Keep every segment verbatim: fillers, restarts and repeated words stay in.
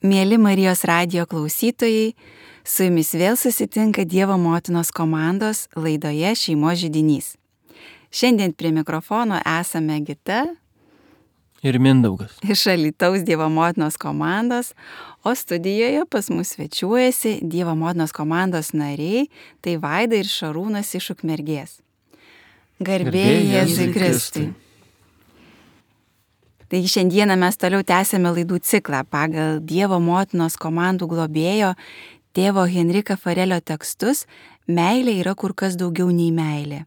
Mieli Marijos radijo klausytojai, su jumis vėl susitinka Dievo motinos komandos laidoje Šeimos židinys. Šiandien prie mikrofono esame Gita ir Mindaugas iš Alytaus Dievo motinos komandos, o studijoje pas mus svečiuojasi Dievo motinos komandos nariai, tai Vaida ir Šarūnas iš Ukmergės. Garbė Jėzui Kristui. Tai šiandieną mes toliau tęsėme laidų ciklą pagal Dievo motinos komandų globėjo tėvo Henrika Farelio tekstus Meilė yra kur kas daugiau nei meilė.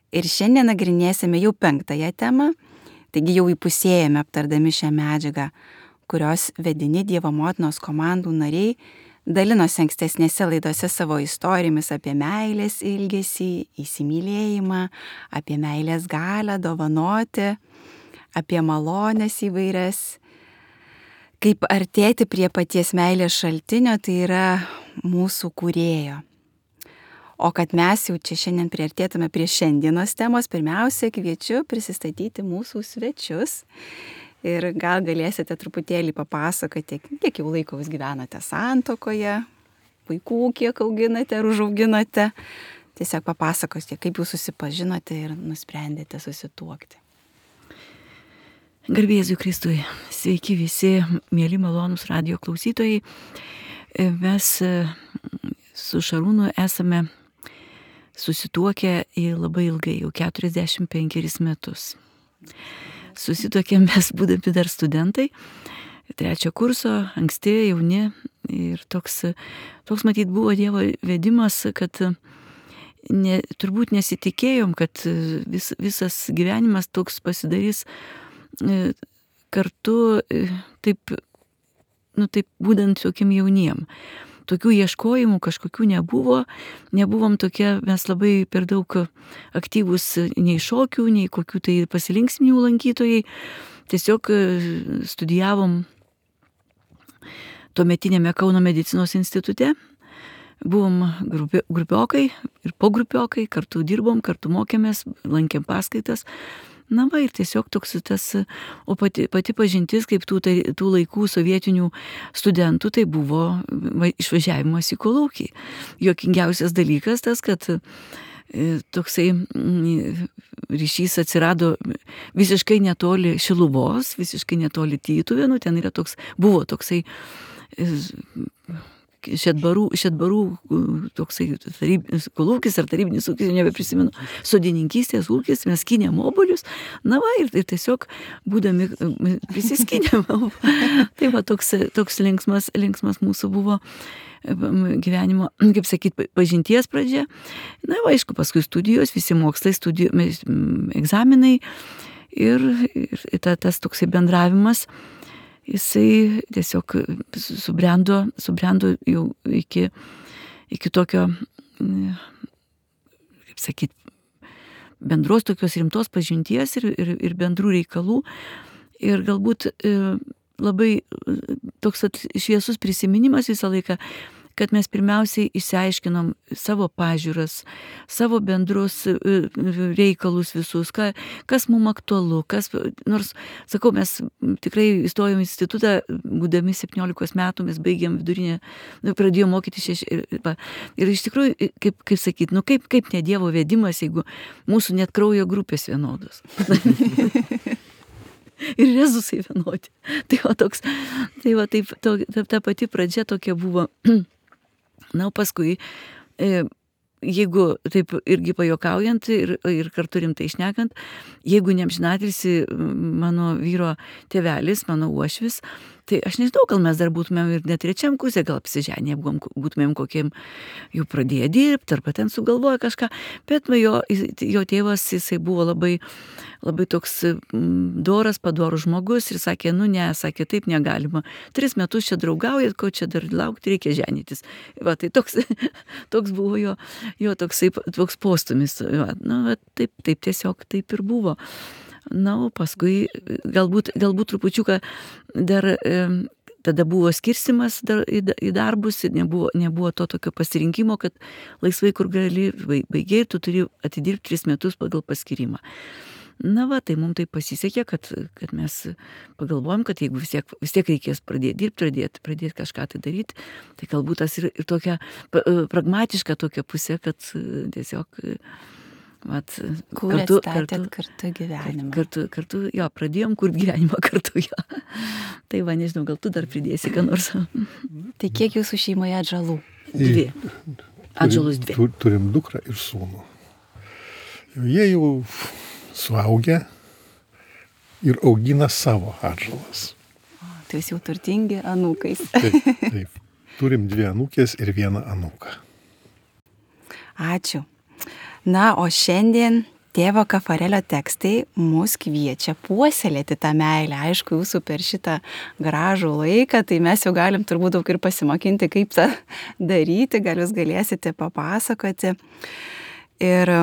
Ir šiandien nagrinėsime jau penktąją temą, taigi jau įpusėjame aptardami šią medžiagą, kurios vedini Dievo motinos komandų nariai dalinosi ankstesnėse laidose savo istorijomis apie meilės ilgesį, įsimylėjimą, apie meilės galią dovanoti, apie malonės įvairias, kaip artėti prie paties meilės šaltinio, tai yra mūsų kūrėjo. O kad mes jau čia šiandien priartėtume prie šiandienos temos, pirmiausia kviečiu prisistatyti mūsų svečius ir gal galėsite truputėlį papasakoti, kiek jau laiko jūs gyvenate santuokoje, vaikų kiek auginate ar užauginote. Tiesiog papasakosite, kaip jūs susipažinote ir nusprendėte susituokti. Garbė Jėzui Kristui, sveiki visi, mėly malonūs radijo klausytojai. Mes su Šarūnu esame susituokę labai ilgai, jau keturiasdešimt penkerius metus. Susituokėm mes būdami dar studentai, trečio kurso, anksti, jauni. Ir toks, toks matyt buvo Dievo vedimas, kad ne, turbūt nesitikėjom, kad vis, visas gyvenimas toks pasidarys kartu, taip, nu, taip būdant tokiem jauniem. Tokių ieškojimų kažkokių nebuvo, nebuvom tokie, mes labai per daug aktyvus nei šokių, nei kokių tai pasilinksminių lankytojai. Tiesiog studijavom tuometinėme Kauno medicinos institute, buvom grupi, grupiokai ir pogrupiokai, kartu dirbom, kartu mokėmės, lankėm paskaitas. Na va, ir tiesiog toks tas, o pati, pati pažintis, kaip tų, tai, tų laikų sovietinių studentų, tai buvo va, išvažiavimas į kolūkį. Juokingiausias dalykas tas, kad e, toksai m, ryšys atsirado visiškai netoli Šiluvos, visiškai netoli Tytuvėnų, ten yra toks, buvo toksai e, Šedbarų, šedbarų toksai tarybinis kolūkis ar tarybinis ūkis, nebeprisimenu, sodininkystės ūkis, mes skynėm obuolius, na va, ir, ir tiesiog būdami prisiskynėm. Tai va, toks, toks linksmas, linksmas mūsų buvo gyvenimo, kaip sakyt, pažinties pradžia. Na, va, aišku, paskui studijos, visi mokslai, studijos, egzaminai ir, ir ta, tas toksai bendravimas. Jisai tiesiog subrendo, subrendo jau iki, iki tokio, kaip sakyt, bendros tokios rimtos pažinties ir, ir, ir bendrų reikalų. Ir galbūt labai toks šviesus prisiminimas visą laiką, kad mes pirmiausiai išsiaiškinom savo pažiūras, savo bendrus reikalus visus, ką, kas mums aktualu, kas, nors, sakau, mes tikrai įstojom į institutą, būdami septyniolikos metų, mes baigėm vidurinę, pradėjom mokyti šeši, ir, ir iš tikrųjų, kaip, kaip sakyt, nu kaip, kaip ne Dievo vedimas, jeigu mūsų net kraujo grupės vienodos. Ir rezusai vienodi. Tai va toks, tai va taip, to, ta, ta pati pradžia tokia buvo. Na, o paskui, e, jeigu taip irgi pajuokaujant ir, ir kartu rimtai šnekant, jeigu neamžinatilsį mano vyro tėvelis, mano uošvis, tai aš nežinau, gal mes dar būtumėm ir net trečiam kurse, gal apsiženę, būtumėm kokiem jau pradėję dirbti, arba ten sugalvoję kažką, bet jo, jo tėvas, jisai buvo labai, labai toks doras, padorus žmogus ir sakė, nu ne, sakė, taip negalima. Tris metus čia draugaujat, ko čia dar laukti, reikia ženytis. Va, tai toks, toks buvo jo, jo toksai, toks postumis. Va, nu, va, taip, taip tiesiog taip ir buvo. Na, o paskui galbūt, galbūt trupučiuką dar e, tada buvo skirstimas dar, į, į darbus ir nebuvo, nebuvo to tokio pasirinkimo, kad laisvai kur gali, baigiai, tu turi atidirbti tris metus pagal paskirimą. Na va, tai mums tai pasisekė, kad, kad mes pagalvojom, kad jeigu vis tiek, vis tiek reikės pradėti dirbti, pradėti, pradėti kažką tai daryti, tai galbūt tas ir, ir tokia pragmatiška tokia pusė, kad tiesiog vat, kartu, kartu, kartu gyvenimą. Kartu, kartu, jo, pradėjom kurti gyvenimą kartu, jo. Tai va, nežinau, gal tu dar pridėsi, ką nors. Tai kiek jūsų šeimoje atžalų? Dvi. Atžalos dvi. Turim, turim dukrą ir sūnų. Jie jau suaugę ir augina savo atžalas. O, tai jūs jau turtingi anūkais. Taip, taip. Turim dvi anūkės ir vieną anūką. Ačiū. Na, o šiandien tėvo Kafarelio tekstai mus kviečia puoselėti tą meilę. Aišku, jūsų per šitą gražų laiką, tai mes jau galim turbūt daug ir pasimokinti, kaip tą daryti, gal jūs galėsite papasakoti. Ir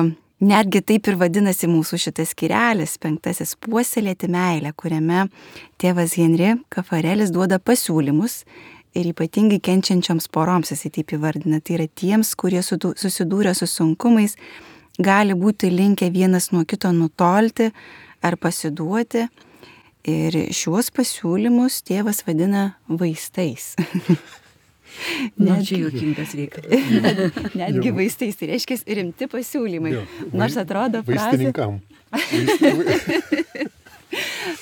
netgi taip ir vadinasi mūsų šitas skyrelis, penktasis puoselėti meilę, kuriame tėvas Henri Kafarelis duoda pasiūlymus ir ypatingai kenčiančioms poroms, jisai taip įvardina, tai yra tiems, kurie susidūrė su sunkumais, gali būti linkę vienas nuo kito nutolti ar pasiduoti. Ir šiuos pasiūlymus tėvas vadina vaistais. Na, čia juokingas reikalas. Netgi vaistais, tai reiškia rimti pasiūlymai. Jo, nors atrodo frazė... Vaistininkam.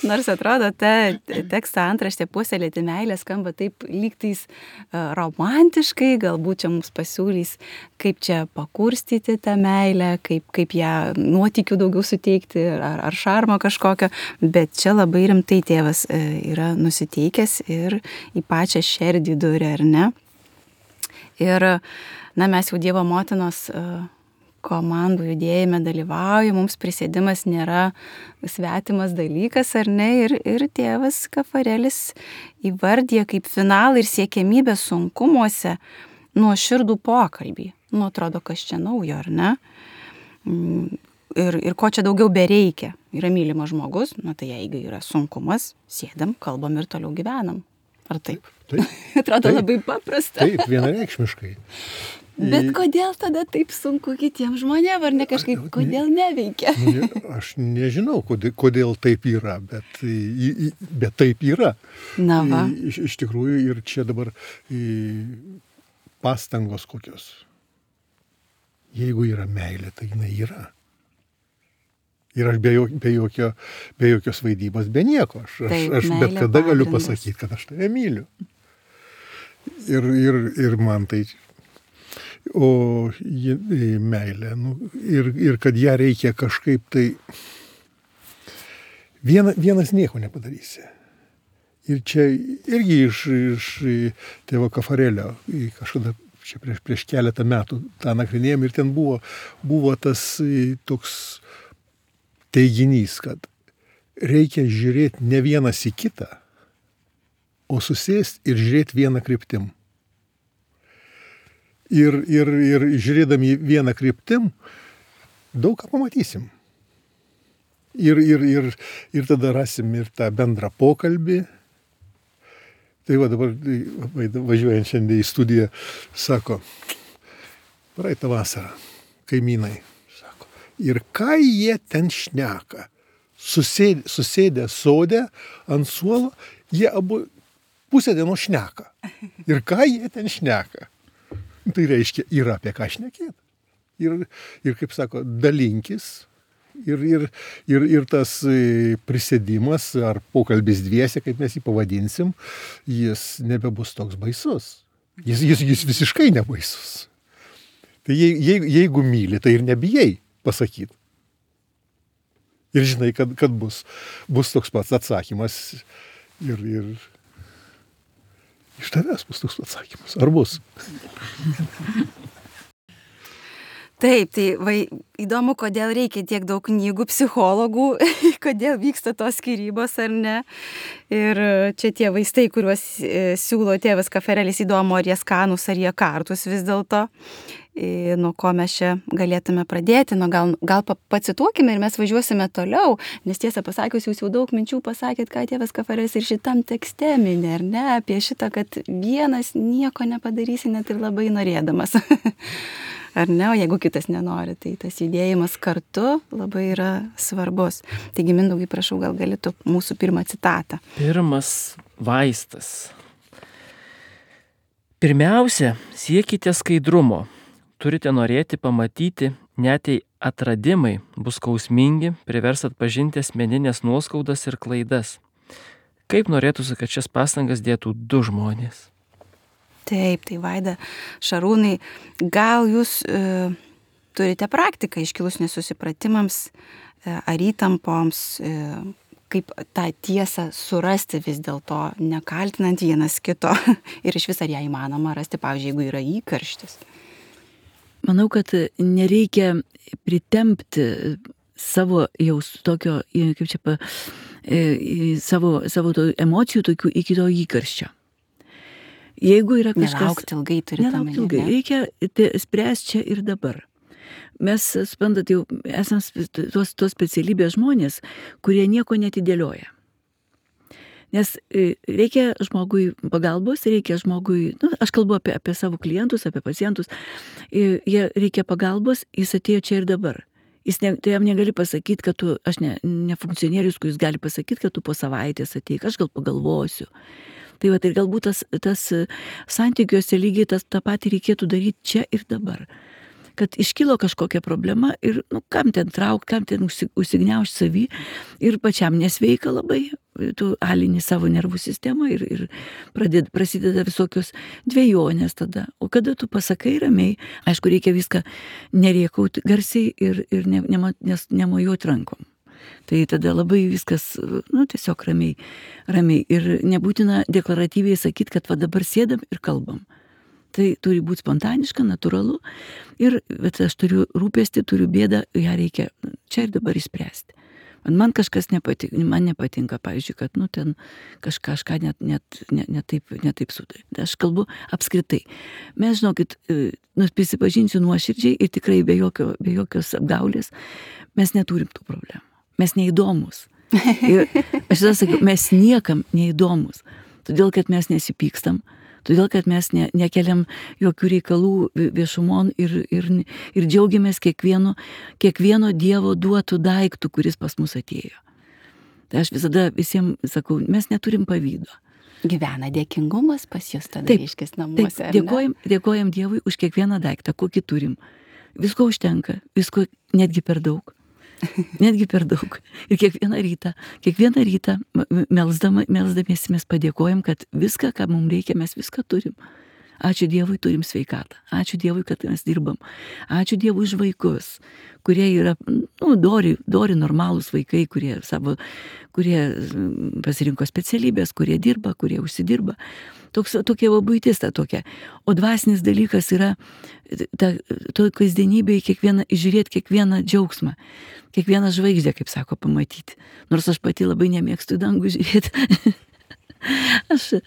Nors atrodo, ta teksto antraštė puoselėti meilę skamba taip lygtais romantiškai, galbūt čia mums pasiūlys, kaip čia pakurstyti tą meilę, kaip, kaip ją nuotykių daugiau suteikti ar, ar šarmo kažkokio, bet čia labai rimtai tėvas yra nusiteikęs ir į pačią šerdį durį, ar ne? Ir, na, mes jau Dievo motinos komandų judėjime dalyvauja, mums prisėdimas nėra svetimas dalykas, ar ne, ir, ir tėvas Kafarelis įvardyja kaip finalą ir siekiamybę sunkumuose nuoširdų pokalbį. Nu, atrodo, kas čia naujo, ar ne? Ir, ir ko čia daugiau bereikia. Yra mylimas žmogus, na tai jeigu yra sunkumas, sėdam, kalbam ir toliau gyvenam. Ar taip? Taip. Atrodo taip, labai paprasta. Taip, vienareikšmiškai. Bet kodėl tada taip sunku kitiems žmonėms, ar ne kažkaip, kodėl neveikia? Aš nežinau, kodėl, kodėl taip yra, bet, bet taip yra. Na va. Iš, iš tikrųjų ir čia dabar pastangos kokios. Jeigu yra meilė, tai jinai yra. Ir aš be, jok, be, jokio, be jokios vaidybos, be nieko. Aš, taip, aš bet kada pagrindas. Galiu pasakyti, kad aš tave myliu. Ir, ir, ir man tai... O meilė, nu, ir, ir kad ją reikia kažkaip tai... Viena, vienas nieko nepadarysi. Ir čia irgi iš, iš tėvo Kafarelio kažkada čia prieš, prieš keletą metų tą nagrinėjom ir ten buvo, buvo tas toks teiginys, kad reikia žiūrėti ne vienas į kitą, o susėsti ir žiūrėti vieną kryptim. Ir, ir, ir žiūrėdami vieną kryptim, daug ką pamatysim. Ir, ir, ir, ir tada rasim ir tą bendrą pokalbį. Tai va dabar važiuojant šiandien į studiją, sako, praeitą vasarą, kaimynai, sako, ir ką jie ten šneka? Susėdę, susėdę sode ant suolo, jie abu pusę dienos šneka. Ir ką jie ten šneka? Tai reiškia, yra apie ką šnekėti. Ir, ir kaip sako, dalinkis. Ir, ir, ir, ir tas prisėdimas ar pokalbis dviese, kaip mes jį pavadinsim, jis nebebus toks baisus. Jis, jis, jis visiškai nebaisus. Tai jeigu, jeigu myli, tai ir nebijai pasakyti. Ir žinai, kad, kad bus, bus toks pats atsakymas. Ir... ir iš tavęs bus toks atsakymas. Ar bus? Taip, tai vai, įdomu, kodėl reikia tiek daug knygų, psichologų, kodėl vyksta tos skyrybos ar ne. Ir čia tie vaistai, kuriuos e, siūlo tėvas Kafarelis, įdomu, ar jie skanus, ar jie kartus vis dėlto. E, nuo ko mes čia galėtume pradėti, nu, gal, gal pacituokime ir mes važiuosime toliau, nes tiesą pasakius, jūs jau daug minčių pasakėt, ką tėvas Kafarelis ir šitam tekste mini, ar ne, apie šitą, kad vienas nieko nepadarysi net ir labai norėdamas. ar ne, o jeigu kitas nenori, tai tas judėjimas kartu labai yra svarbus. Taigi, Mindaugai, prašau, gal galėtų mūsų pirmą citatą. Pirmas vaistas. Pirmiausia, siekite skaidrumo. Turite norėti pamatyti, net jei atradimai bus skausmingi, privers atpažinti asmeninės nuoskaudas ir klaidas. Kaip norėtųsi, kad šias pastangas dėtų du žmonės? Taip, tai Vaida, Šarūnai, gal jūs e, turite praktiką iškilus nesusipratimams e, ar įtampoms, e, kaip tą tiesą surasti vis dėlto, nekaltinant vienas kito ir iš vis ar ją įmanoma rasti, pavyzdžiui, jeigu yra įkarštis. Manau, kad nereikia pritempti savo jaus tokio, kaip čia, pa, savo, savo to emocijų tokių iki to įkarščio. Jeigu yra kažkas... Nelaukti ilgai turite omeny. Nelaukti ilgai, reikia spręsti čia ir dabar. Mes, suprantat, jau esame tos, tos specialybės žmonės, kurie nieko netidėlioja. Nes reikia žmogui pagalbos, reikia žmogui, nu, aš kalbu apie, apie savo klientus, apie pacientus, jie reikia pagalbos, jis atėjo čia ir dabar. Jis ne, tai jam negali pasakyti, kad tu, aš ne, ne funkcionierius, kuris gali pasakyti, kad tu po savaitės ateik, aš gal pagalvosiu. Tai va, tai galbūt tas, tas santykiuose lygiai tas, tą patį reikėtų daryti čia ir dabar. Kad iškilo kažkokia problema ir, nu, kam ten trauk, kam ten užsigniaužti savį ir pačiam nesveika labai, tu alini savo nervų sistemą ir, ir pradėd, prasideda visokios dvejonės tada. O kada tu pasakai ramiai, aišku, reikia viską nerėkauti garsiai ir, ir ne, ne, nes nemojuoti rankom. Tai tada labai viskas, nu, tiesiog ramiai, ramiai. Ir nebūtina deklaratyviai sakyti, kad va dabar sėdam ir kalbam. Tai turi būti spontaniška, natūralu. Ir, bet aš turiu rūpestį, turiu bėdą, ją reikia čia ir dabar išspręsti. Man, man kažkas nepatinka, man nepatinka, pavyzdžiui, kad, nu, ten kažką, kažką net, net, net, net taip, net taip sudarė. Aš kalbu apskritai. Mes, žinokit, nu, prisipažinsiu nuoširdžiai ir tikrai be, jokio, be jokios apgaulės, mes neturim tų problemų. Mes neįdomus. Ir aš tada sakiau, mes niekam neįdomus. Todėl, kad mes nesipykstam, todėl, kad mes ne, nekeliam jokių reikalų viešumon ir, ir, ir džiaugiamės kiekvieno, kiekvieno Dievo duotų daiktų, kuris pas mus atėjo. Tai aš visada visiems sakau, mes neturim pavydo. Gyvena dėkingumas pas jūs tada reiškis namuose. Taip, dėkojam, dėkojam Dievui už kiekvieną daiktą, kokį turim. Visko užtenka, visko netgi per daug. Netgi per daug. Ir kiekvieną rytą, kiekvieną rytą melsdama, melsdamiesi mes padėkojam, kad viską, ką mums reikia, mes viską turim. Ačiū Dievui, turim sveikatą. Ačiū Dievui, kad mes dirbam. Ačiū Dievui už vaikus, kurie yra, nu, dori, dori normalūs vaikai, kurie savo, kurie pasirinko specialybės, kurie dirba, kurie užsidirba. Toks, tokia buitis ta tokia. O dvasinis dalykas yra ta, to kasdienybėje kiekvieną, žiūrėti kiekvieną džiaugsmą, kiekvieną žvaigždę, kaip sako, pamatyti. Nors aš pati labai nemėgstu į dangų žiūrėti. Aš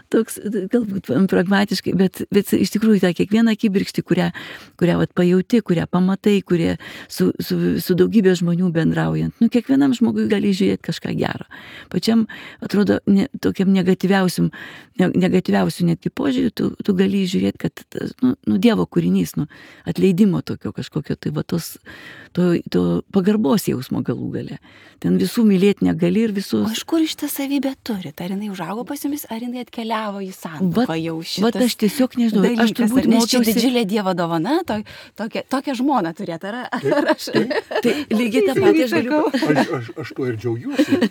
toks, galbūt pragmatiškai, bet, bet iš tikrųjų tą kiekvieną akibirkštį, kurią, kurią vat, pajauti, kurią pamatai, kurie su, su, su daugybė žmonių bendraujant, nu, kiekvienam žmogui gali žiūrėti kažką gero. Pačiam, atrodo, ne, tokiam negatyviausiam, ne, negatyviausiam netgi požiūrį, tu, tu gali žiūrėti, kad, nu, nu, Dievo kūrinys, nu, atleidimo tokio kažkokio, tai va tos, to, to pagarbos jausmo galų gale. Ten visų mylėti negali ir visus... O iš kur iš tą savybę turi? Ar jinai užaugo pas jumis, ar jinai atkeliavo į santuoką jau šitas vat aš tiesiog nežinau, dalykas, aš turbūt nes čia mokiausi... didžiulė Dievo dovana, to, tokia, tokia žmona turėt, ar, ar aš... Tai lygiai tą patį aš galiu... Aš, aš, aš tuo ir džiaugiuosi.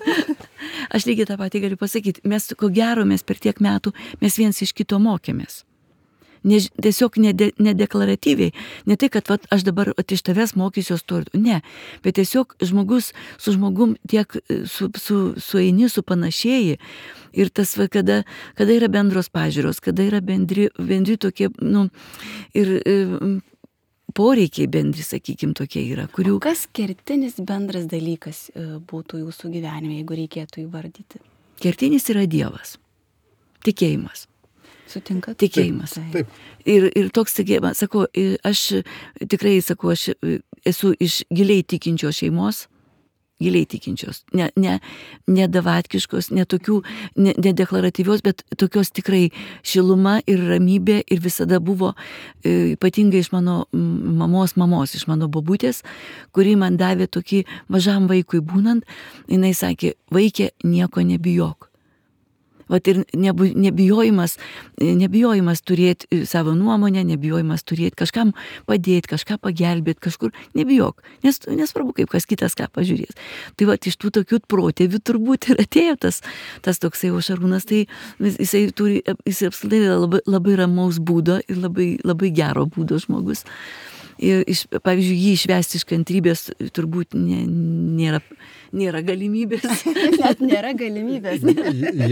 Aš lygiai tą patį galiu pasakyti. Mes, ko gero, mes per tiek metų, mes viens iš kito mokėmės. Ne, tiesiog nede, nedeklaratyviai, ne tai, kad vat, aš dabar vat, iš tavęs mokysiuos to, ne, bet tiesiog žmogus su žmogum tiek su, su, sueini, supanašėji ir tas, va, kada, kada yra bendros pažiūros, kada yra bendri, bendri tokie, nu, ir e, poreikiai bendri, sakykim, tokie yra, kurių... O kas kertinis bendras dalykas būtų jūsų gyvenime, jeigu reikėtų įvardyti? Kertinis yra Dievas, tikėjimas. Sutinkat? Tikėjimas. Taip, taip. Ir, ir toks tikėjimas, sakau, aš tikrai, sakau, aš esu iš giliai tikinčios šeimos, giliai tikinčios, ne, ne, ne davatkiškos, ne tokių, ne, ne deklaratyvios, bet tokios tikrai šiluma ir ramybė ir visada buvo e, ypatingai iš mano mamos mamos, iš mano bobutės, kuri man davė tokį mažam vaikui būnant, jinai sakė, vaikė, nieko nebijok. Vat ir nebu, nebijojimas, nebijojimas turėti savo nuomonę, nebijojimas turėti kažkam padėti, kažką pagelbėti, kažkur, nebijok, nes nesvarbu, kaip kas kitas ką pažiūrės. Tai vat iš tų tokių protėvių turbūt ir atėjo tas, tas toksai o Šarūnas, tai jisai turi, jisai apskritai labai, labai ramaus būdo ir labai, labai gero būdo žmogus. Ir, iš, pavyzdžiui, jį išvesti iš kantrybės turbūt nė, nėra, nėra galimybės. Net nėra galimybės.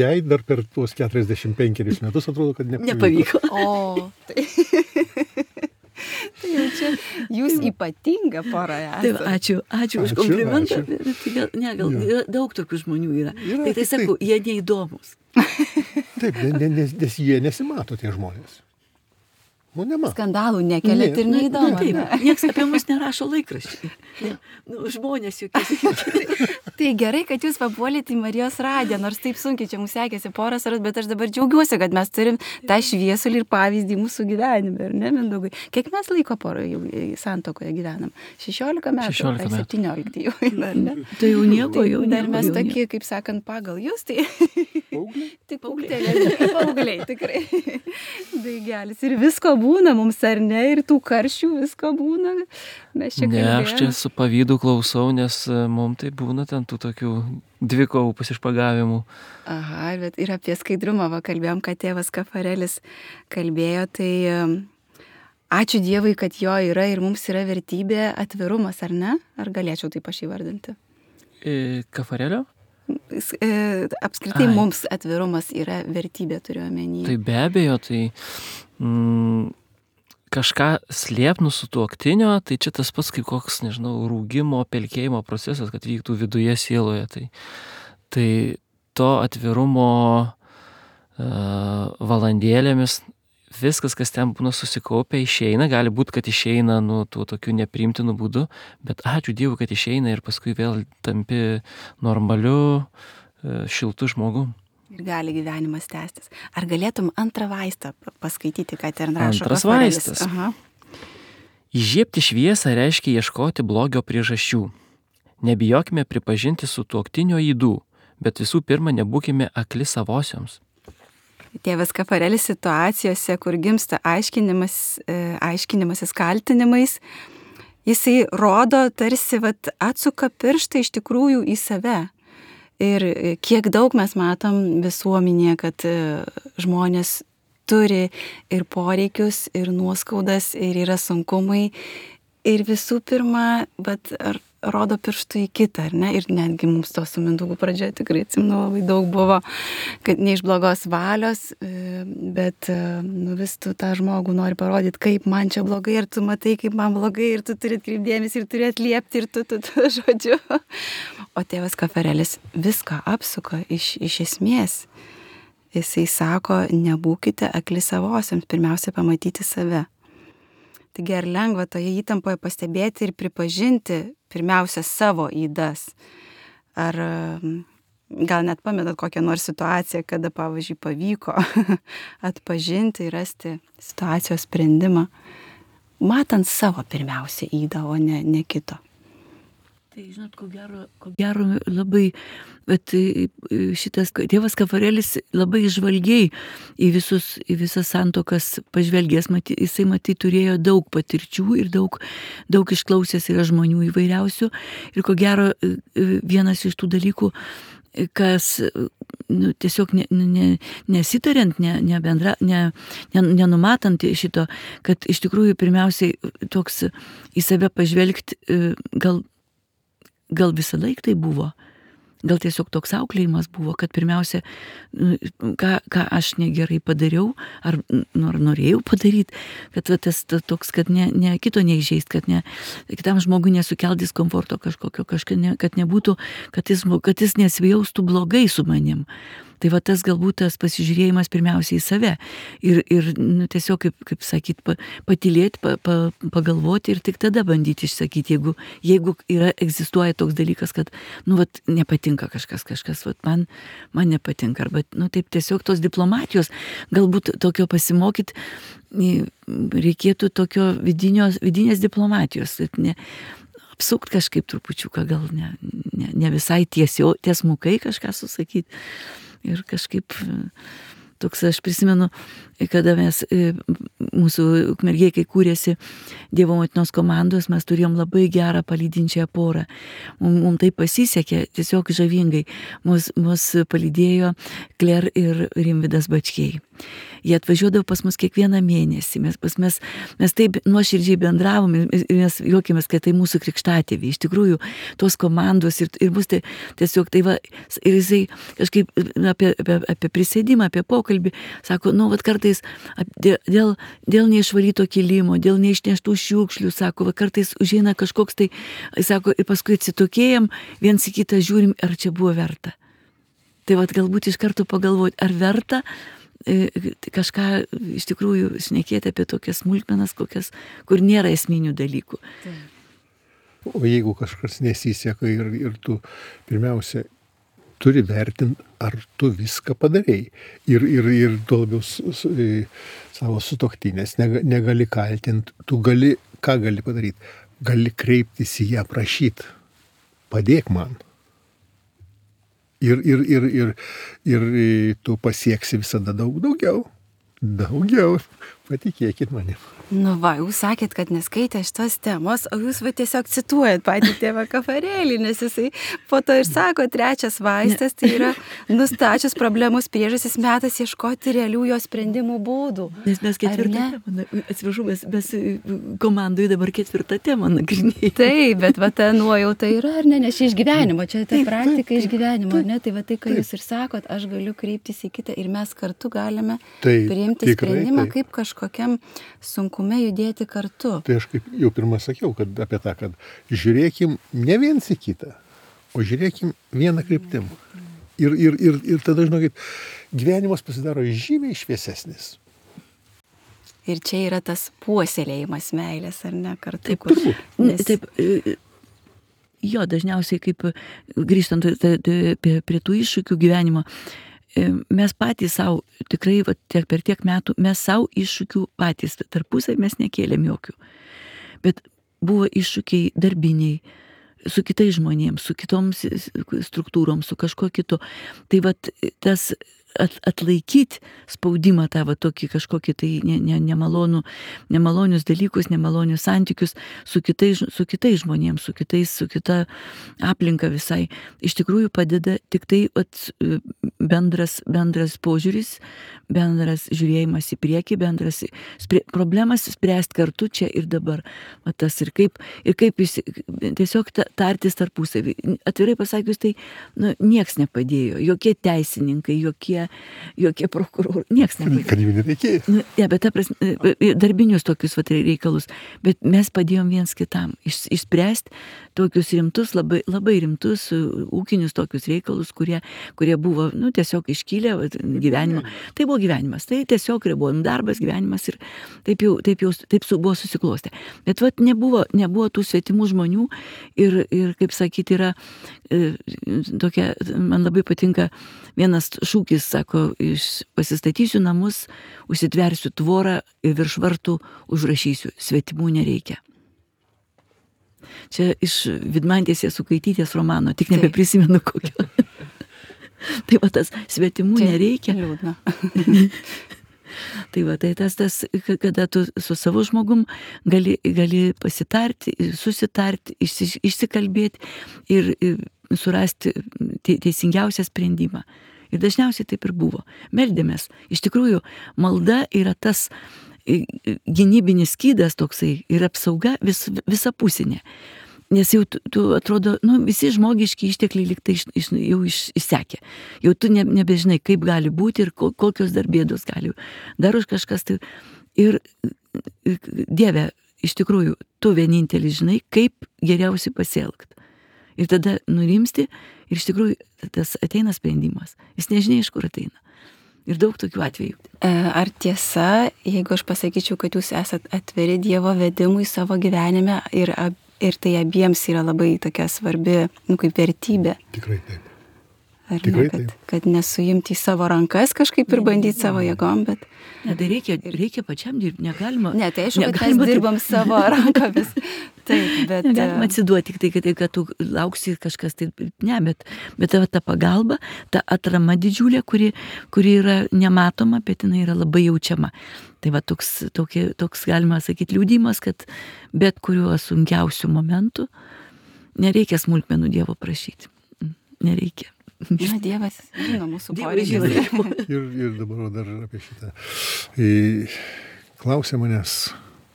Jai dar per tuos keturiasdešimt penkerius metus atrodo, kad nepavyko. Nepavyko. O, tai... tai jau čia jūs ypatinga pora esate. Taip, ačiū, ačiū už Ačiū, komplimentą. ačiū. Tai gal, ne, gal Jo. yra, daug tokių žmonių yra. Yra, Tai tai tik sakau, jie neįdomus. Taip, ne- nes, nes jie nesimato tie žmonės. Nu, nemato. Skandalų nekeliat Ne, ir ne, neįdomu. Taip, ne? nieks apie mus nerašo laikraščiai. Ne, nu, žmonės jokie. Tai gerai, kad jūs papuolėte į Marijos radiją, nors taip sunkiai čia mums sekėsi poras aras, bet aš dabar džiaugiuosi, kad mes turim tą šviesulį ir pavyzdį mūsų gyvenime, ar ne, Mindaugai? Kiek mes laiko porą jau santuokoje gyvenam? šešiolika metų? šešiolika ar metų. septyniolika jau, ar ne? Tai jau nieko, jau Dar nieko, mes jau tokie, kaip sakant, pagal jūs, tai Paaugliai? tik paaugliai, paaugliai, tikrai. Daigelis. Ir visko būna mums, ar ne, ir tų karščių visko būna. Mes čia Ne, aš čia kalbėjom. su pavydu klausau, nes mums tai būna ten tų tokių dvikovų pasišpagavimų. Aha, bet ir apie skaidrumą va, kalbėjom, kad tėvas Kafarelis kalbėjo, tai um, ačiū Dievui, kad jo yra ir mums yra vertybė atvirumas, ar ne? Ar galėčiau taip aš įvardinti? E, Kafarelio? S- e, Apskritai Ai. mums atvirumas yra vertybė, turiu omenyje. Tai be abejo, tai mm, kažką slėpnų su tuoktinio, tai čia tas pats kaip koks, nežinau, rūgimo, pelkėjimo procesas, kad vyktų viduje sieloje. Tai, tai to atvirumo uh, valandėlėmis viskas, kas ten būna susikaupę, išeina. Gali būti, kad išeina nu, tuo tokiu nepriimtinu būdu, bet ačiū Dievui, kad išeina ir paskui vėl tampi normaliu, uh, šiltu žmogum. Ir gali gyvenimas tęstis. Ar galėtum antrą vaistą pa- paskaityti, ką ten rašo Antras Kafarelis? vaistas. Aha. Įžiebti šviesą reiškia ieškoti blogio priežasčių. Nebijokime pripažinti su tuoktinio ydų, bet visų pirma nebūkime akli savosioms. Tėvas Kafarelis situacijose, kur gimsta aiškinimas, e, aiškinimasis kaltinimais, jisai rodo tarsi vat, atsuka pirštą iš tikrųjų į save. Ir e, kiek daug mes matom visuomenėje, kad e, žmonės turi ir poreikius, ir nuoskaudas, ir yra sunkumai. Ir visų pirma, bet ar rodo pirštų į kitą, ar ne? Ir netgi mums to su Mindaugu pradžioje tikrai atsimenu labai daug buvo, kad ne iš blogos valios, e, bet e, nu, vis tu tą žmogų nori parodyti, kaip man čia blogai, ir tu matai, kaip man blogai, ir tu turi atkreipdėmėsi, ir turi atliepti, ir tu, tu, tu, žodžiu. O tėvas Kafarelis viską apsuka iš, iš esmės. Jisai sako, nebūkite akli savosiams, pirmiausia pamatyti save. Taigi ar lengva toje įtampoje pastebėti ir pripažinti pirmiausia savo ydas? Ar um, gal net pamenat kokią nors situaciją, kada, pavyzdžiui, pavyko atpažinti ir rasti situacijos sprendimą, matant savo pirmiausia ydą, o ne, ne kito? Tai, žinot, ko gero, ko gero labai, bet šitas tėvas Kafarelis labai žvalgiai į, visus, į visas santuokas pažvelgęs, maty, jisai maty turėjo daug patirčių ir daug, daug išklausęs yra žmonių įvairiausių. Ir ko gero vienas iš tų dalykų, kas nu, tiesiog ne, ne, nesitariant, ne, ne bendra, ne, ne, nenumatant šito, kad iš tikrųjų pirmiausiai toks į save pažvelgti gal Gal visą laiką tai buvo, gal tiesiog toks auklėjimas buvo, kad pirmiausia, ką, ką aš negerai padariau, ar, nu, ar norėjau padaryti, kad va, tas, tas toks, kad ne, ne kito neįžeist, kad ne, kitam žmogui nesukelt diskomforto kažkokio, kažką, ne, kad nebūtų, kad jis, kad jis nesijaustų blogai su manim. Tai va tas galbūt tas pasižiūrėjimas pirmiausiai į save ir, ir nu, tiesiog, kaip, kaip sakyt, pa, patylėti, pa, pa, pagalvoti ir tik tada bandyti išsakyti, jeigu, jeigu yra, egzistuoja toks dalykas, kad, nu, vat, nepatinka kažkas, kažkas, vat, man, man nepatinka, arba, nu, taip tiesiog tos diplomatijos, galbūt tokio pasimokyti, reikėtų tokio vidinio, vidinės diplomatijos, ne, apsukt kažkaip trupučiuką, gal ne, ne, ne visai tiesio, tiesmukai kažką susakyti. Ir kažkaip toks, aš prisimenu, kada mes, mūsų Ukmergėje, kai kūrėsi Dievo motinos komandos, mes turėjom labai gerą palydinčią porą. Mums, mums tai pasisekė tiesiog žavingai. Mus, mus palydėjo Kler ir Rimvydas Bačkiai. Jie atvažiuodavo pas mus kiekvieną mėnesį. Mes, pas mes, mes taip nuoširdžiai bendravom ir mes juokėmės, kad tai mūsų krikštatėviai. Iš tikrųjų, tos komandos ir, ir bus tai, tiesiog tai va, ir jisai kažkaip apie, apie, apie prisėdimą, apie pokalbį, sako, nu, vat kartais dėl, dėl neišvalyto kilimo, dėl neišneštų šiukšlių, sako, va kartais užeina kažkoks tai, sako, ir paskui atsitokėjam, viens į kitą žiūrim, ar čia buvo verta. Tai va, galbūt iš karto pagalvoti, ar verta kažką iš tikrųjų šnekėti apie tokias smulkmenas, kokias, kur nėra esminių dalykų. O jeigu kažkas nesiseka ir, ir tu pirmiausia turi vertinti, ar tu viską padarei. Ir, ir, ir tuo labiau su, su, savo sutuoktinės negali kaltinti, tu gali, ką gali padaryti? Gali kreiptis į ją, prašyti, padėk man. Ir, ir, ir, ir, ir tu pasieksi visada daug daugiau. Daugiau. Patikėkit manim. Nu va, jūs sakėt, kad neskaitė šitos temos, o jūs va tiesiog cituojat patį tėvą Kafarėlį, nes jisai po to ir sako, trečias vaistas, tai yra nustačius problemos priežastis metas ieškoti realių jo sprendimų būdų. Nes mes ketvirtą temą, atsiprašau, mes, mes komandai dabar ketvirtą temą nagrinėjame. Taip, bet va ta nuojauta yra, ar ne, nes čia iš gyvenimo, čia ta praktika iš gyvenimo, ar ne, tai va tai, ką jūs ir sakot, aš galiu kreiptis į kitą ir mes kartu galime taip, priimti tikrai, sprendimą, taip. kaip kažkokiam sunkume judėti kartu. Tai aš kaip jau pirmą sakiau, kad apie tą, kad žiūrėkim ne viens į kitą, o žiūrėkim vieną kryptim. Ir, ir, ir, ir tada, žinokit, gyvenimas pasidaro žymiai šviesesnis. Ir čia yra tas puoselėjimas meilės, ar ne, kartu. Taip, turbūt. Nes... Taip, jo, dažniausiai kaip grįžtant prie, prie tų iššūkių gyvenimo, mes patys savo, tikrai va, tiek, per tiek metų, mes savo iššūkių patys, tarpusai mes nekėlėm jokių. Bet buvo iššūkiai darbiniai, su kitais žmonėms, su kitoms struktūrom, su kažkuo kitu. Tai va tas at, atlaikyti spaudimą tą va tokį kažkokį tai ne, ne, nemalonų, nemalonius dalykus, nemalonius santykius su kitais, su kitais žmonėms, su kitais, su kita aplinka visai. Iš tikrųjų padeda tik tai at, bendras, bendras požiūris, bendras žiūrėjimas į priekį, bendras sprė, problemas spręsti kartu čia ir dabar. Va tas ir kaip, ir kaip jis, tiesiog tartis tarpusavį. Atvirai pasakius, tai nu, nieks nepadėjo, jokie teisininkai, jokie jokie prokurorai, nieks nepadėjo. Kad jų nereikėjo. Nu, ja, bet ta prasme, darbinius tokius vat, reikalus, bet mes padėjom viens kitam iš, išspręsti tokius rimtus, labai, labai rimtus ūkinius tokius reikalus, kurie, kurie buvo nu, tiesiog iškilę vat, gyvenimo. Tai buvo gyvenimas, tai tiesiog buvo darbas, gyvenimas ir taip jau, taip jau taip su, buvo susiklostę. Bet vat, nebuvo, nebuvo tų svetimų žmonių ir, ir kaip sakyti, yra e, tokia, man labai patinka vienas šūkis, sako, iš pasistatysiu namus, užsitversiu tvorą ir virš vartų užrašysiu, svetimų nereikia. Čia iš Vidmantės Jasukaitytės romano, tik nebeprisimenu kokio. Tai va tas svetimų čia nereikia. Liūdna. Tai va, tai tas, tas, kada tu su savo žmogum gali, gali pasitarti, susitarti, išsi, išsikalbėti ir, ir surasti teisingiausią sprendimą. Ir dažniausiai taip ir buvo. Meldėmės. Iš tikrųjų, malda yra tas gynybinis skydas toksai ir apsauga vis, visapusinė. Nes jau tu, tu atrodo, nu, visi žmogiški ištekliai lyg tai iš, iš, jau iš, išsekė. Jau tu ne, nebežinai, kaip gali būti ir ko, kokios dar bėdos gali. Dar už kažkas tai. Ir, ir Dieve, iš tikrųjų, tu vienintelis žinai, kaip geriausiai pasielgti. Ir tada nurimsti ir iš tikrųjų tas ateina sprendimas. Jis nežinia, iš kur ateina. Ir daug tokių atvejų. Ar tiesa, jeigu aš pasakyčiau, kad jūs esat atviri Dievo vedimui savo gyvenime ir, ir tai abiems yra labai tokia svarbi, nu, kaip vertybė? Tikrai taip. Ar Tikrai ne, kad, taip. kad nesuimti į savo rankas kažkaip ir bandyti savo jėgom, bet... Ne, tai reikia, reikia pačiam dirbti, negalima. Ne, tai aišku, kad negalima mes dirbam savo rankomis. Taip, bet... Negalima atsiduoti tik tai, kad, kad tu lauksi kažkas, tai ne, bet, bet ta, ta pagalba, ta atrama didžiulė, kuri, kuri yra nematoma, bet jinai yra labai jaučiama. Tai va toks, tokie, toks galima sakyti liūdimas, kad bet kuriuo sunkiausių momentų nereikia smulkmenų Dievo prašyti. Nereikia. Na, Dievas žino mūsų Dievas poreikius. žino. Ir, ir dabar dar apie šitą. E, Klausė manęs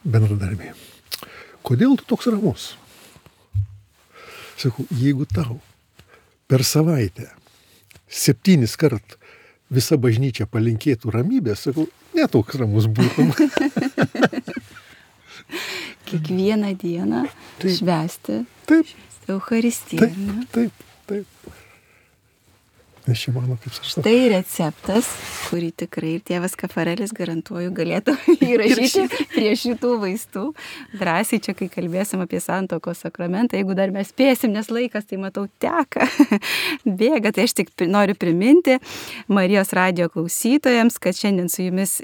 bendradarbiai, kodėl tu toks ramus? Sakau, jeigu tau per savaitę septynis kart visa bažnyčia palinkėtų ramybės, sakau, netoks ramus būtum. Kiekvieną dieną Taip. švęsti Taip, Eucharistiją. taip, ar ne? taip, taip. Nes čia mano, kaip sakau. Tai receptas, kurį tikrai ir tėvas Kafarelis, garantuoju, galėtų įrašyti prie šitų vaistų. Drąsiai čia, kai kalbėsim apie santuokos sakramentą, jeigu dar mes spėsim, nes laikas, tai matau, teka, bėga. Tai aš tik noriu priminti Marijos radijo klausytojams, kad šiandien su jumis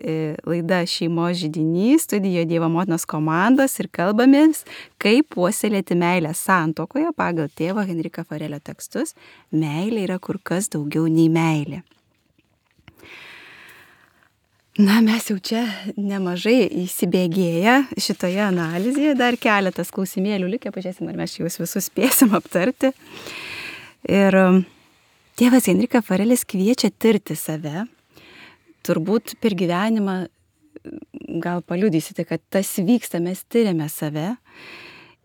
laida Šeimos židinys, studijoje Dievo motinos komandos ir kalbamės, kaip puoselėti meilę santuokoje pagal tėvo Henrika Farelio tekstus. Meilė yra kur kas daugiau nei meilė. Na, mes jau čia nemažai įsibėgėję šitoje analizėje, dar keletas klausimėlių likę, pažiūrėsim, ar mes juos visus spėsim aptarti. Ir tėvas Henrika Farelis kviečia tirti save. Turbūt per gyvenimą gal paliudysite, kad tas vyksta, mes tiriame save.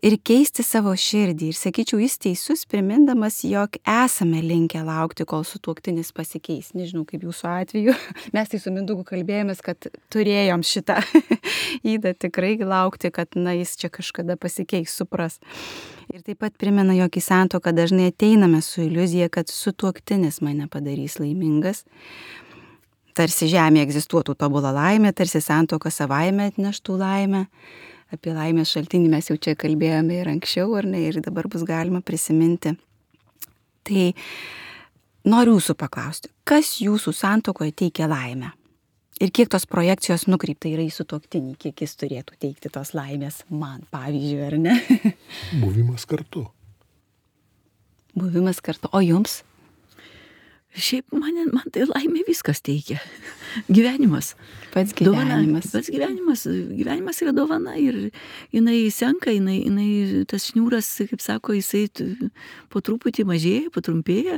Ir keisti savo širdį. Ir sakyčiau, jis teisus, primindamas, jog esame linkę laukti, kol sutuoktinis pasikeis. Nežinau, kaip jūsų atveju. Mes tai su Mindaugu kalbėjomės, kad turėjom šitą įdą tikrai laukti, kad na, jis čia kažkada pasikeis, supras. Ir taip pat primena, jog į santuoką dažnai ateiname su iliuzija, kad sutuoktinis mane padarys laimingas. Tarsi žemėje egzistuotų tobula laimė, tarsi santuoka savaime atneštų laimę. Apie laimės šaltinį mes jau čia kalbėjome ir anksčiau, ar ne, ir dabar bus galima prisiminti. Tai noriu jūsų paklausti, kas jūsų santuokoje teikia laimę? Ir kiek tos projekcijos nukreipta yra į sutuoktinį, kiek jis turėtų teikti tos laimės man, pavyzdžiui, ar ne? Buvimas kartu. Buvimas kartu. O jums? Šiaip man, man tai laimė viskas teikia. Gyvenimas. Pats gyvenimas. Dovana, pats gyvenimas. Gyvenimas yra dovana ir jinai senka, jinai, jinai tas šniūras, kaip sako, jisai po truputį mažėja, patrumpėja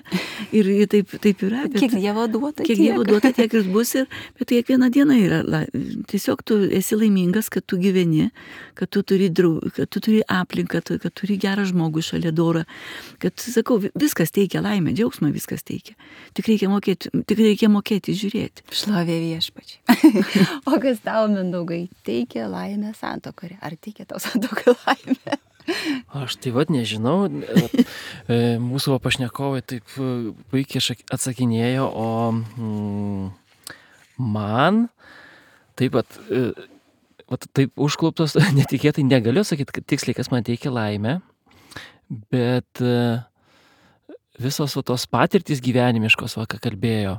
ir taip, taip yra. Bet, kiek Dievo duota, kiek Dievo duota, tiek ir bus. Ir, bet kiekviena diena yra. La, tiesiog tu esi laimingas, kad tu gyveni, kad tu turi, draug, kad tu turi aplinką, kad, kad turi gerą žmogų šalia dorą. Kad, sakau, viskas teikia laimę, džiaugsmą viskas teikia. Tik reikia mokėti, tik reikia mokėti žiūrėti. Šlovė viešpačiai. O kas tau, Mindaugai, teikia laimę santuokoje? Ar teikia tau santuokoje laimę? Aš tai vad nežinau. Mūsų pašnekovai taip puikiai atsakinėjo, o mm, man taip pat, vat, taip užkluptos, netikėtai negaliu sakyti, tiksliai, kas man teikia laimę, bet visos o, tos patirtys gyvenimiškos, va, ką kalbėjo,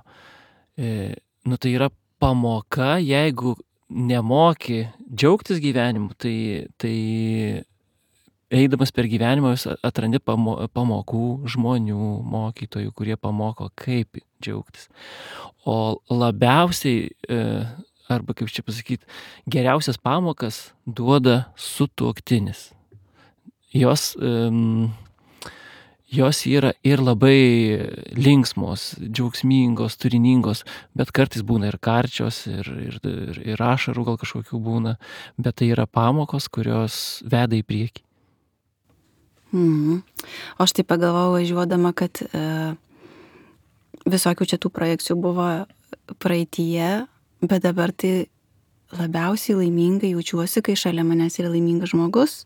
e, nu tai yra pamoka, jeigu nemoki džiaugtis gyvenimu, tai, tai eidamas per gyvenimą vis atrandi pamo, pamokų žmonių, mokytojų, kurie pamoko, kaip džiaugtis. O labiausiai, e, arba kaip čia pasakyti, geriausias pamokas duoda sutuoktinis. Jos... E, Jos yra ir labai linksmos, džiaugsmingos, turiningos, bet kartais būna ir karčios, ir, ir, ir, ir ašarų gal kažkokių būna, bet tai yra pamokos, kurios veda į priekį. Mhm. O aš tai pagalvojau važiuodama, kad e, visokių čia tų projekcijų buvo praeityje, bet dabar tai labiausiai laimingai jaučiuosi, kai šalia manęs yra laimingas žmogus.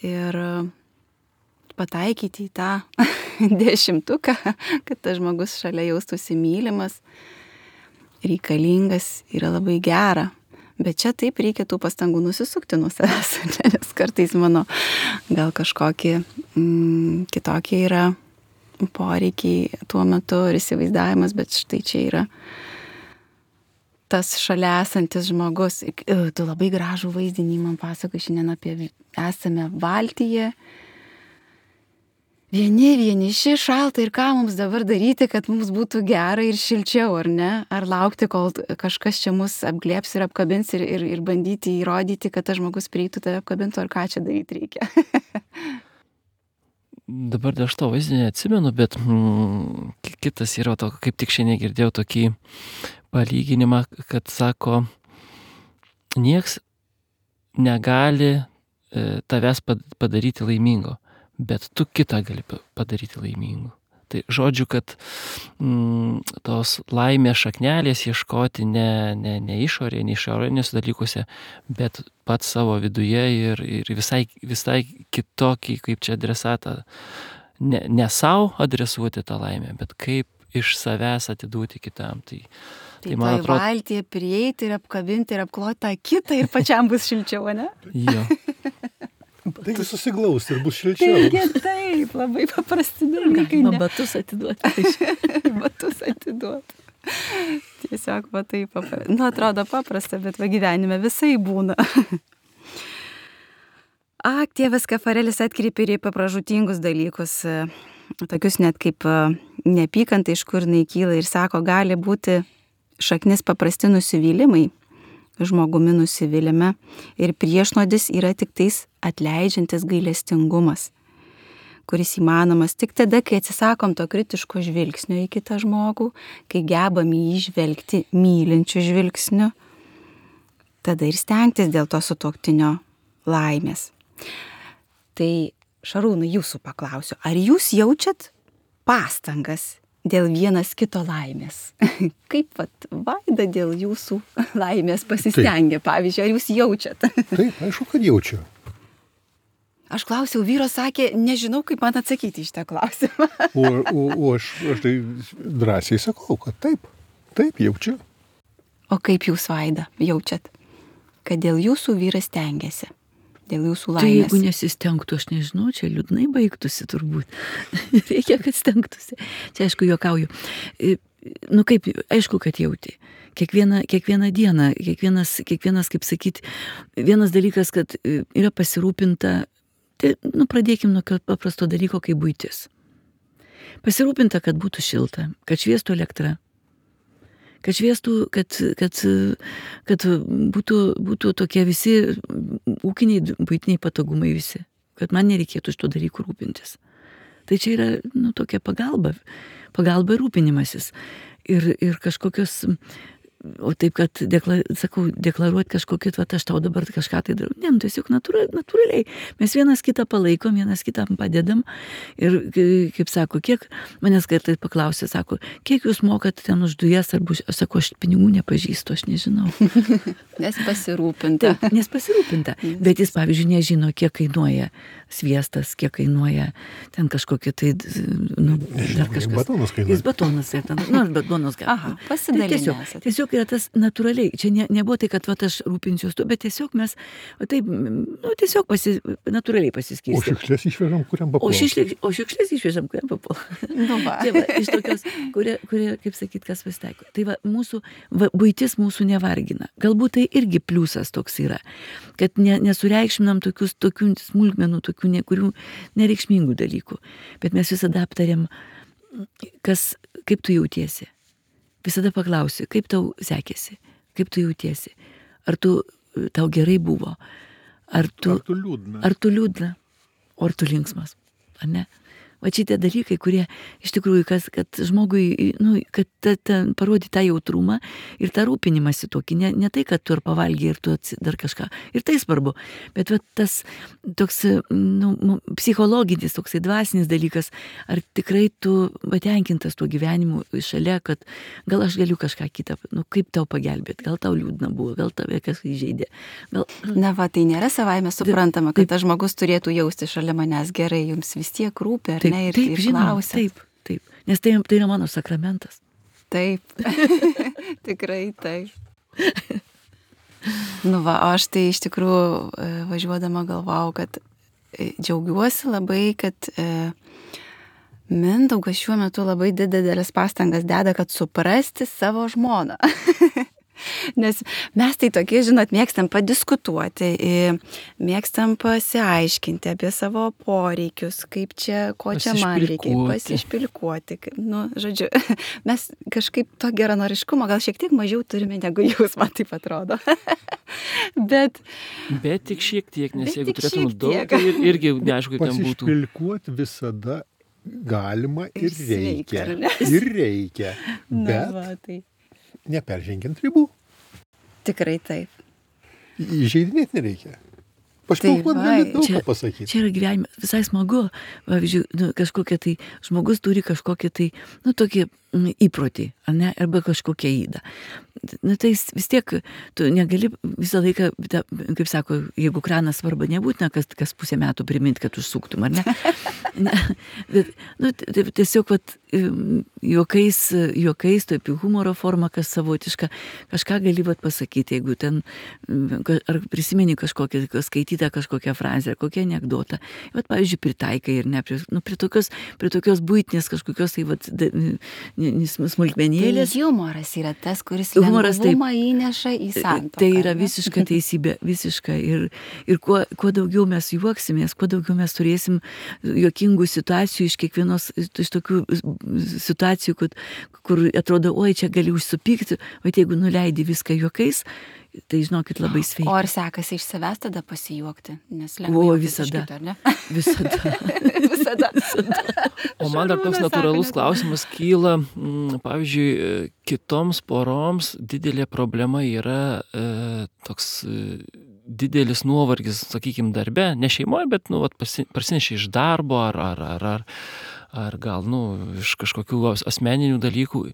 Ir pataikyti į tą dešimtuką, kad tas žmogus šalia jaustųsi mylimas, reikalingas, yra labai gera. Bet čia taip reikia tų pastangų nusisukti nuo savęs, nes kartais mano gal kažkokie mm, kitokie yra poreikiai tuo metu ir įsivaizdavimas, bet štai čia yra tas šalia esantis žmogus. Tu labai gražų vaizdinį man pasakoji šiandien apie esame valtyje. Vieni, vieniši, šalta ir ką mums dabar daryti, kad mums būtų gera ir šilčiau, ar ne? Ar laukti, kol kažkas čia mus apglėps ir apkabins ir, ir, ir bandyti įrodyti, kad tas žmogus prieitų tave apkabintų, ar ką čia daryti reikia? Dabar aš to vaizdinį atsimenu, bet mm, kitas yra, to, kaip tik šiandien girdėjau tokį palyginimą, kad sako, nieks negali e, tavęs padaryti laimingo, bet tu kitą gali padaryti laimingu. Tai žodžiu, kad mm, tos laimės šaknelės ieškoti ne, ne, ne išorėje, ne išorinėse dalykuose, bet pats savo viduje ir, ir visai, visai kitokį, kaip čia adresatą, ne, ne savo adresuoti tą laimę, bet kaip iš savęs atiduoti kitam. Tai, tai, tai man atrodo, valtyje prieiti ir apkabinti ir apkloti tą kitą ir pačiam bus šilčiau, ne? Jo. Taigi susiglaus ir bus šilčiau. Taigi taip, labai paprasti dalykai. Galima batus atiduoti. Batus atiduoti. Tiesiog va taip paprasta. Nu, atrodo paprasta, bet va gyvenime visai būna. Ak, tėvas Kafarelis atkreipė ir į papražutingus dalykus, tokius net kaip neapykanta, iš kur jinai kyla, ir sako, gali būti šaknis paprasti nusivylimai, žmogumi nusivylime, ir priešnuodis yra tik tais atleidžiantis gailestingumas, kuris įmanomas tik tada, kai atsisakom to kritiško žvilgsnio į kitą žmogų, kai gebam jį žvelgti mylinčiu žvilgsniu, tada ir stengtis dėl to sutuoktinio laimės. Tai Šarūnai, jūsų paklausiu, ar jūs jaučiat pastangas dėl vienas kito laimės? Kaip vat Vaida dėl jūsų laimės pasistengia, taip. Pavyzdžiui, ar jūs jaučiat? Taip, aišku, kad jaučiu. Aš klausiau, vyro sakė, nežinau, kaip man atsakyti iš tą klausimą. O, o, o aš, aš tai drąsiai sakau, kad taip, taip jaučiu. O kaip jūs, Vaida, jaučiat, kad dėl jūsų vyras stengiasi? Dėl jūsų laimės. Tai jeigu nesistengtų, aš nežinau, čia liūdnai baigtųsi turbūt. Reikia, kad stengtųsi. Čia aišku, juokauju. Nu kaip, aišku, kad jauti. Kiekvieną, kiekvieną dieną, kiekvienas, kiekvienas, kaip sakyti, vienas dalykas, kad yra pasirūpinta, tai, nu, pradėkim nuo paprasto dalyko, kaip buitis. Pasirūpinta, kad būtų šilta, kad šviestų elektra, kad šviestų, kad, kad, kad būtų, būtų tokie visi ūkiniai, buitiniai patogumai visi, kad man nereikėtų iš to dalykų rūpintis. Tai čia yra, nu, tokia pagalba, pagalba ir rūpinimasis. Ir, ir kažkokios, o taip, kad, dekla, sakau, deklaruoti kažkokį, va, aš tau dabar kažką tai darau. Ne, nu, tiesiog natūra, natūraliai. Mes vienas kitą palaikom, vienas kitam padedam. Ir, kaip sako, kiek, manęs kartais paklausė, sako, kiek jūs mokat ten už dujas, arba, aš sako, aš pinigų nepažįstu, aš nežinau. Nes pasirūpinta. Taip, nes pasirūpinta. Bet jis, pavyzdžiui, nežino, kiek kainuoja sviestas, kiek kainuoja ten kažkokie tai, nu, dar kažkas. Batonas kainuoja. Jis batonas, ten, nu, batonas kainuoja. Aha, pasidalinęs. Tiesiog, tiesiog yra tas natūraliai. Čia ne, nebuvo tai, kad va, aš rūpinsiuos tu, bet tiesiog mes, va, taip, nu, tiesiog pasi, natūraliai pasiskirstėm. O šiukšlės išvežam, kuriam papuola. O, šišlė, o šiukšlės išvežam, kuriam papuola. Nu, va. Tai va, iš tokios, kurie, kurie, kaip sakyt, kas pasitaiko. Tai va, mūsų, va, buitis mūsų nevargina. Galbūt tai irgi pliusas toks yra, kad ne, nesureikšminam tokius, tokių smulkmenų, tokių ne, kurių nereikšmingų dalykų. Bet mes visada aptarėm, kas, kaip tu jautiesi. Visada paklausi, kaip tau sekėsi, kaip tu jautiesi. Ar tu, tau gerai buvo, ar tu, ar tu liūdna, ar tu liūdna, o ar tu linksmas, ar ne? Va šitie dalykai, kurie iš tikrųjų, kas, kad žmogui, nu, kad ta, ta, parodyti tą jautrumą ir tą rūpinimąsi tokį, ne, ne tai, kad tu ar pavalgiai ir tu atsi, dar kažką. Ir tai svarbu. Bet va, tas toks nu, psichologinis, toksai dvasinis dalykas, ar tikrai tu patenkintas tuo gyvenimu šalia, kad gal aš galiu kažką kitą, nu kaip tau pagelbėti, gal tau liūdna buvo, gal tave kas įžeidė. Gal... Na va, tai nėra savaime suprantama, kad tas žmogus turėtų jausti šalia manęs gerai, jums vis tiek rūpi, ar taip, ne, ir, taip, ir žinoma, klausia. Taip, taip, nes tai, tai yra mano sakramentas. Taip, tikrai taip. Nu va, aš tai iš tikrųjų važiuodama galvau, kad džiaugiuosi labai, kad e, Mindaugas šiuo metu labai didelis pastangas deda, kad suprasti savo žmoną. Nes mes tai tokie, žinot, mėgstam padiskutuoti, mėgstam pasiaiškinti apie savo poreikius, kaip čia, ko čia man reikia, pasišpilkuoti. Nu, žodžiu, mes kažkaip to geranoriškumo gal šiek tiek mažiau turime negu jūs, man taip atrodo. Bet, bet tik šiek tiek, nes jeigu turėtum daug, tai ir, irgi neaišku, kaip ten būtų. Pasišpilkuoti visada galima ir, ir reikia. Sveika, ir reikia. Bet... Na, va, tai... neperžengiant ribų. Tikrai taip. Įžeidinėti nereikia. Pašpilkuoti gali daug ką pasakyti. Čia yra gyvenime visai smagu. Pavyzdžiui, nu, kažkokia tai žmogus turi kažkokią tai, nu, tokį įprotį, ar ne, arba kažkokią įdą. Na tai vis tiek tu negali visą laiką, kaip sako, jeigu kranas svarba nebūtina, kas, kas pusę metų priminti, kad užsuktum, ar ne? Ne, bet, nu, tiesiog vat, juokais, juokais, taip humoro forma, kas savotiška, kažką gali vat pasakyti, jeigu ten, ar prisimeni kažkokią, skaitytą kažkokią frazę, ar kokią anekdotą, vat, pavyzdžiui, pritaikai ir ne, prie, nu, prie, tokios, prie tokios buitinės kažkokios, tai vat, smulkmenėlės. Tai humoras yra tas, kuris humoras, lengvumą įneša į santuoką. Tai yra visiška teisybė, visiška. Ir, ir kuo, kuo daugiau mes juoksimės, kuo daugiau mes turėsim juokingų situacijų iš kiekvienos, iš tokių situacijų, kur, kur atrodo, oi, čia gali užsupykti, o jeigu nuleidi viską juokais, tai žinokit labai sveika. O ar sekasi iš savęs tada pasijuokti? Nes lengvai o visada. Kito, ar ne? Visada. visada. visada. O man dar toks natūralus klausimas kyla, m, pavyzdžiui, kitoms poroms didelė problema yra e, toks e, didelis nuovargis, sakykime, darbe, ne šeimoje, bet nu, prasinešė iš darbo ar, ar, ar, ar, ar gal nu, iš kažkokių asmeninių dalykų.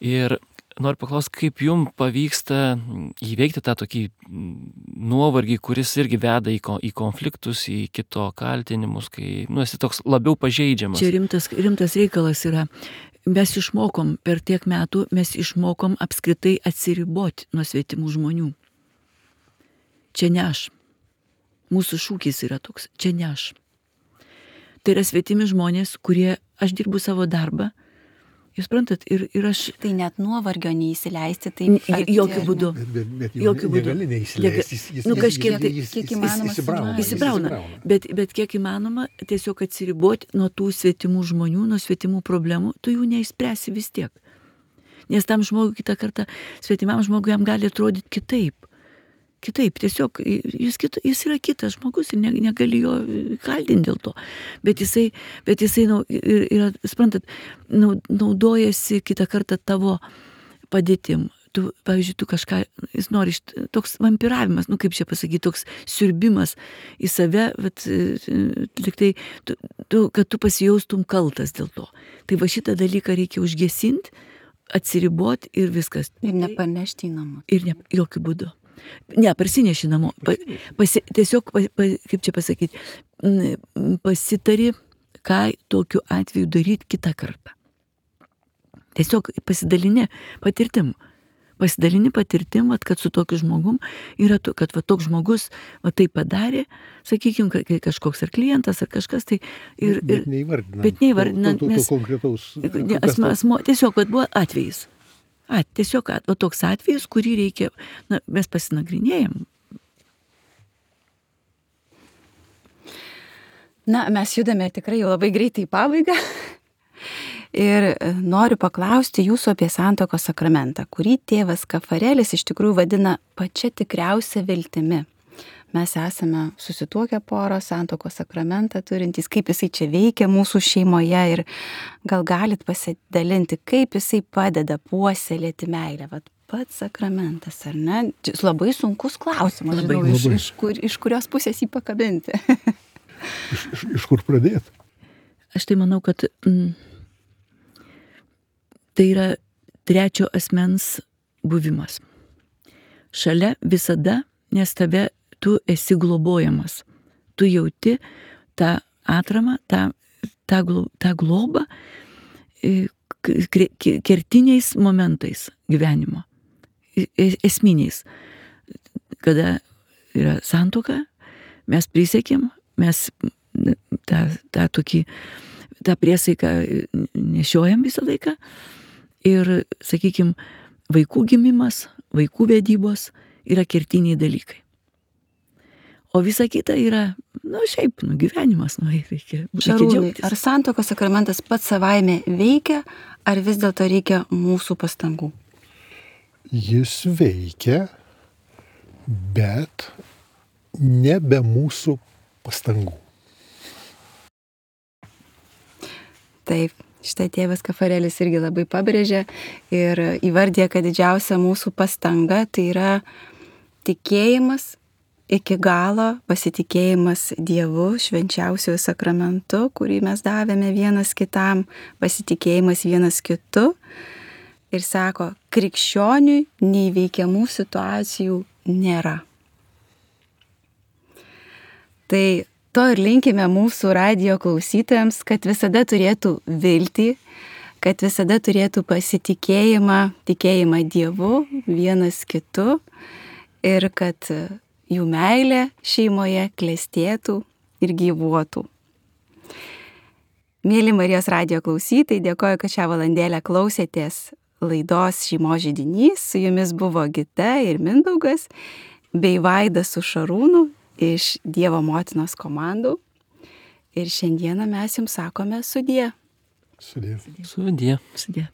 Ir noriu paklausti, kaip jums pavyksta įveikti tą tokį nuovargį, kuris irgi veda į, į konfliktus, į kito kaltinimus, kai nu, esi toks labiau pažeidžiamas. Čia rimtas, rimtas reikalas yra. Mes išmokom per tiek metų, mes išmokom apskritai atsiriboti nuo svetimų žmonių. Čia ne aš. Mūsų šūkis yra toks. Čia ne aš. Tai yra svetimi žmonės, kurie, aš dirbu savo darbą, jūs suprantat, ir, ir aš... Tai net nuovargio neįsileisti, tai... Jokių būdų. Bet, bet, bet jokių būdų. Negali neįsileisti. Jis, jis, nu, kažkiek, jis, jis, kiek įmanoma. Įsibrauna. Įsibrauna. Bet, bet kiek įmanoma tiesiog atsiriboti nuo tų svetimų žmonių, nuo svetimų problemų, tu jų neišspręsi vis tiek. Nes tam žmogui kitą kartą, svetimam žmogui jam gali atrodyti kitaip. Kitaip, tiesiog jis, kito, jis yra kitas žmogus ir ne, negali jo kaltinti dėl to. Bet jisai, bet jisai nu, yra, suprantat, naudojasi kitą kartą tavo padėtim. Tu, pavyzdžiui, tu kažką, jis nori, toks vampiravimas, nu kaip čia pasakyti, toks siurbimas į save, bet liktai, tu, tu, kad tu pasijaustum kaltas dėl to. Tai va šitą dalyką reikia užgesinti, atsiriboti ir viskas. Ir nepanešti į namus. Ir ne, jokių būdų. Ne, parsineši namo. Pa, pasi, tiesiog, pa, pa, kaip čia pasakyti, pasitari, ką tokiu atveju daryti kitą kartą. Tiesiog pasidalini patirtim. Pasidalini patirtim, vat, kad su tokiu žmogum yra, to, kad va, toks žmogus va, tai padarė, sakykime, kažkoks ar klientas, ar kažkas tai. Ir, bet neįvardina. Bet neįvardina. To, to, to, to konkretaus. Ne, asmo, asmo, tiesiog vat, buvo atvejis. A, tiesiog at, va, toks atvejis, kurį reikia, na, mes pasinagrinėjom. Na, mes judame tikrai jau labai greitai į pabaigą. Ir noriu paklausti jūsų apie santuokos sakramentą, kurį tėvas Kafarelis iš tikrųjų vadina pačia tikriausia viltimi. mes esame susituokę poros, santuokos sakramentą turintys, kaip jisai čia veikia mūsų šeimoje ir gal galit pasidalinti, kaip jisai padeda puoselėti meilę. Vat pats sakramentas, ar ne? Čia labai sunkus klausimas, Labai. žinau, iš, Labai. iš, kur, iš kurios pusės jį pakabinti. Iš, iš, iš kur pradėti? Aš tai manau, kad mm, tai yra trečio asmens buvimas. Šalia visada, nes tave tu esi globojamas. Tu jauti tą atramą, tą, tą, glo- tą globą e, k- k- kertiniais momentais gyvenimo. E- e- Esminiais. Kada yra santuoka, mes prisiekėm, mes tą, tą tokį, tą priesaiką nešiojam visą laiką. Ir, sakykime, vaikų gimimas, vaikų vedybos yra kertiniai dalykai. O visa kita yra, nu šiaip, nu gyvenimas, nu reikia, reikia Šarūnai, džiaugtis. ar santuokos sakramentas pats savaime veikia, ar vis dėlto reikia mūsų pastangų? Jis veikia, bet ne be mūsų pastangų. Taip, šitą tėvas Kafarelis irgi labai pabrėžė ir įvardė, kad didžiausia mūsų pastanga tai yra tikėjimas iki galo, pasitikėjimas Dievu, švenčiausiuoju sakramentu, kurį mes davėme vienas kitam, pasitikėjimas vienas kitu. Ir sako, krikščioniui neįveikiamų situacijų nėra. Tai to ir linkime mūsų radijo klausytojams, kad visada turėtų viltį, kad visada turėtų pasitikėjimą, tikėjimą Dievu, vienas kitu ir kad jų meilė šeimoje klestėtų ir gyvuotų. Mėly Marijos radijo klausytojai, dėkoju, kad šią valandėlę klausėtės laidos Šeimos židinys. Su jumis buvo Gita ir Mindaugas, bei Vaidas su Šarūnu iš Dievo motinos komandų. Ir šiandieną mes jums sakome sudie. Sudė. Sudie. Sudė.